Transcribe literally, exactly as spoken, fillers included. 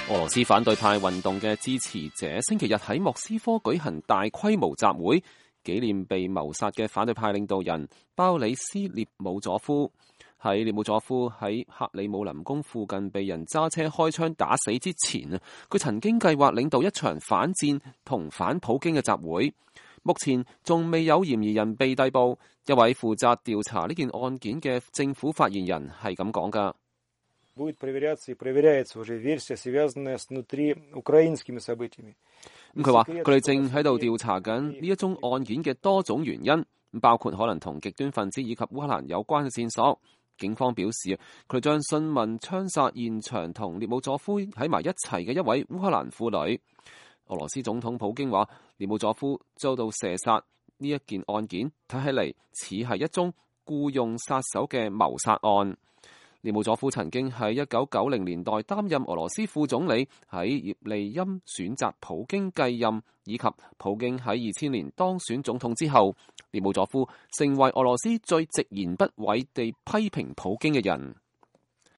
俄羅斯反對派運動嘅支持者星期日喺莫斯科舉行大規模集會，紀念被謀殺嘅反對派領導人鮑里斯列姆佐夫。喺列姆佐夫喺克里姆林宮附近被人揸車開槍打死之前啊，佢曾經計劃領導一場反戰同反普京嘅集會。目前仲未有嫌疑人被逮捕。一位負責調查呢件案件嘅政府發言人係咁講㗎。будет проверяться и проверяется уже версия, связанная с внутри украинскими событиями。咁佢話佢哋正喺度調查緊呢一宗案件嘅多種原因，包括可能同極端分子以及烏克蘭有關嘅線索。警方表示，佢哋將詢問槍殺現場同列姆佐夫喺埋一齊嘅一位烏克蘭婦女。俄羅斯總統普京話，列姆佐夫遭到射殺呢一件案件睇起嚟似係一宗僱用殺手嘅謀殺案。列姆佐夫曾經喺一九九零年代擔任俄羅斯副總理，喺葉利欽選擇普京繼任，以及普京喺二千年當選總統之後，列姆佐夫成為俄羅斯最直言不諱地批評普京嘅人。